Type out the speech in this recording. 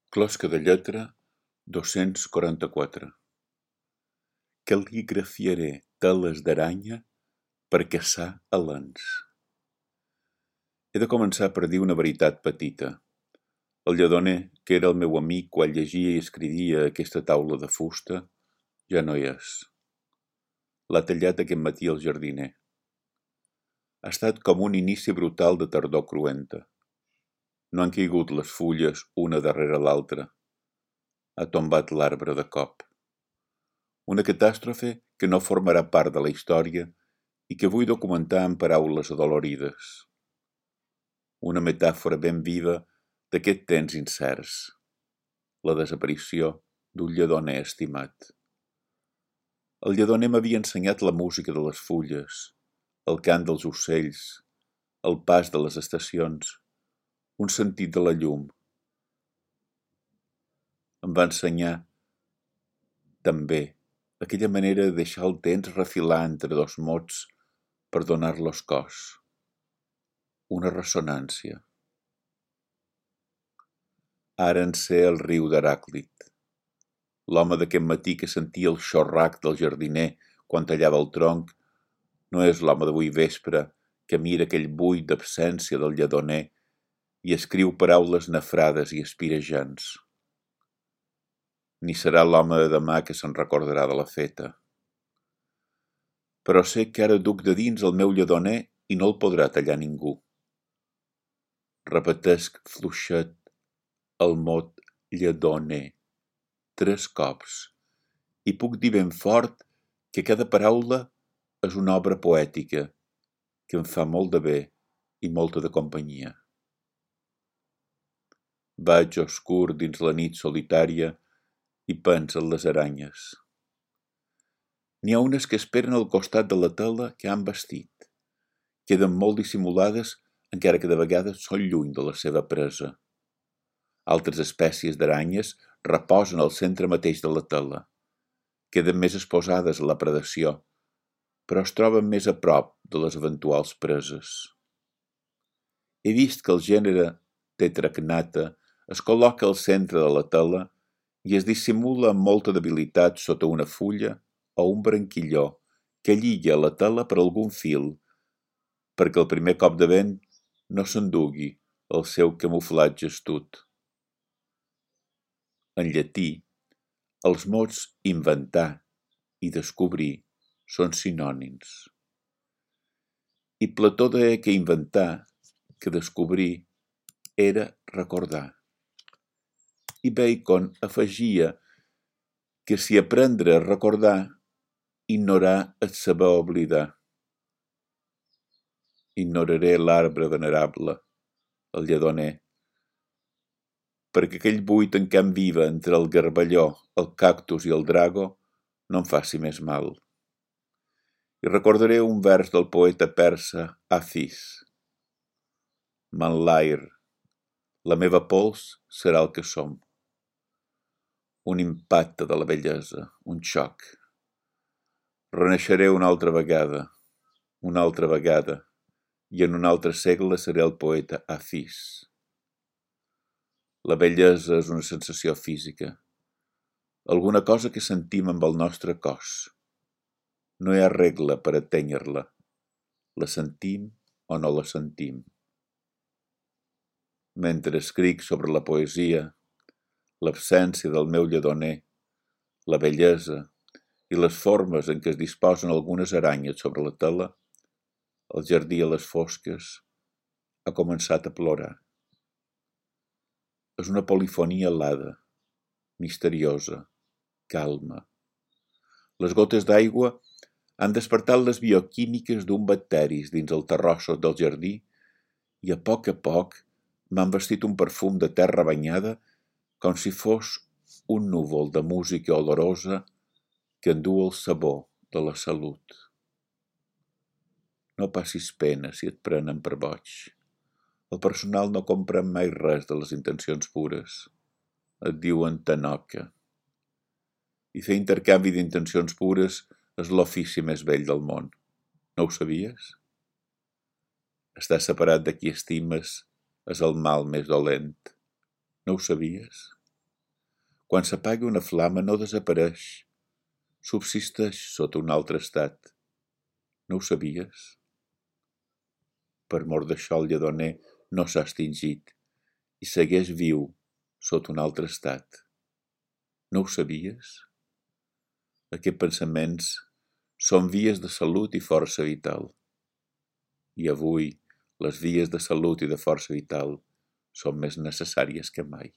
Closca de lletra 244. Cal·ligrafiaré teles d'aranya per caçar alens. He de començar per dir una veritat petita. El lledoner, que era el meu amic quan llegia i escrivia aquesta taula de fusta, ja no hi és. L'ha tallat aquest matí el jardiner. Ha estat com un inici brutal de tardor cruenta. No han caigut les fulles una darrere l'altra. Ha tombat l'arbre de cop. Una catàstrofe que no formarà part de la història i que vull documentar en paraules adolorides. Una metàfora ben viva d'aquest temps incerts. La desaparició d'un lledoner estimat. El lledoner m'havia ensenyat la música de les fulles, el cant dels ocells, el pas de les estacions, un sentit de la llum. Em va ensenyar, també, aquella manera de deixar el temps refilar entre dos mots per donar-los cos. Una ressonància. Ara en sé el riu d'Heràclit. L'home d'aquest matí que sentia el xorrac del jardiner quan tallava el tronc no és l'home d'avui vespre que mira aquell buit d'absència del lledoner i escriu paraules nafrades i espirejants. Ni serà l'home de demà que se'n recordarà de la feta. Però sé que ara duc de dins el meu lledoner i no el podrà tallar ningú. Repetesc fluixet el mot lledoner 3 cops i puc dir ben fort que cada paraula és una obra poètica que em fa molt de bé i molta de companyia. Vaig oscur dins la nit solitària i penso en les aranyes. N'hi ha unes que esperen al costat de la tela que han vestit. Queden molt dissimulades, encara que de vegades són lluny de la seva presa. Altres espècies d'aranyes reposen al centre mateix de la tela. Queden més exposades a la predació, però es troben més a prop de les eventuals preses. He vist que el gènere Tetracnata es col·loca al centre de la tela i es dissimula amb molta debilitat sota una fulla o un branquilló que lliga la tela per algun fil, perquè el primer cop de vent no s'endugui el seu camuflatge astut. En llatí, els mots inventar i descobrir són sinònims. I Plató deia que inventar, que descobrir, era recordar. I Bacon afegia que si aprendre a recordar, ignorar és saber oblidar. Ignoraré l'arbre venerable, el lledoner, perquè aquell buit en camp viva entre el garballó, el cactus i el drago no em faci més mal. I recordaré un vers del poeta persa Hafiz. Manlair, la meva pols serà el que som. Un impacte de la bellesa, un xoc. Renaixeré una altra vegada, i en un altre segle seré el poeta Hafiz. La bellesa és una sensació física, alguna cosa que sentim amb el nostre cos. No hi ha regla per atènyer-la. La sentim o no la sentim. Mentre escric sobre la poesia, l'absència del meu lledoner, la bellesa i les formes en què es disposen algunes aranyes sobre la tela, el jardí a les fosques ha començat a plorar. És una polifonia alada, misteriosa, calma. Les gotes d'aigua han despertat les bioquímiques d'un bacteris dins el terrossos del jardí i a poc m'han vestit un perfum de terra banyada com si fos un núvol de música olorosa que endú el sabor de la salut. No passis pena si et prenen per boig. El personal no comprèn mai res de les intencions pures. Et diuen tanoca. I fer intercanvi d'intencions pures és l'ofici més vell del món. No ho sabies? Estar separat de qui estimes és el mal més dolent. No ho sabies? Quan s'apaga una flama no desapareix, subsisteix sota un altre estat. No ho sabies? Per mor d'això el lledoner no s'ha extingit i segueix viu sota un altre estat. No ho sabies? Aquests pensaments són vies de salut i força vital. I avui les vies de salut i de força vital són més necessàries que mai.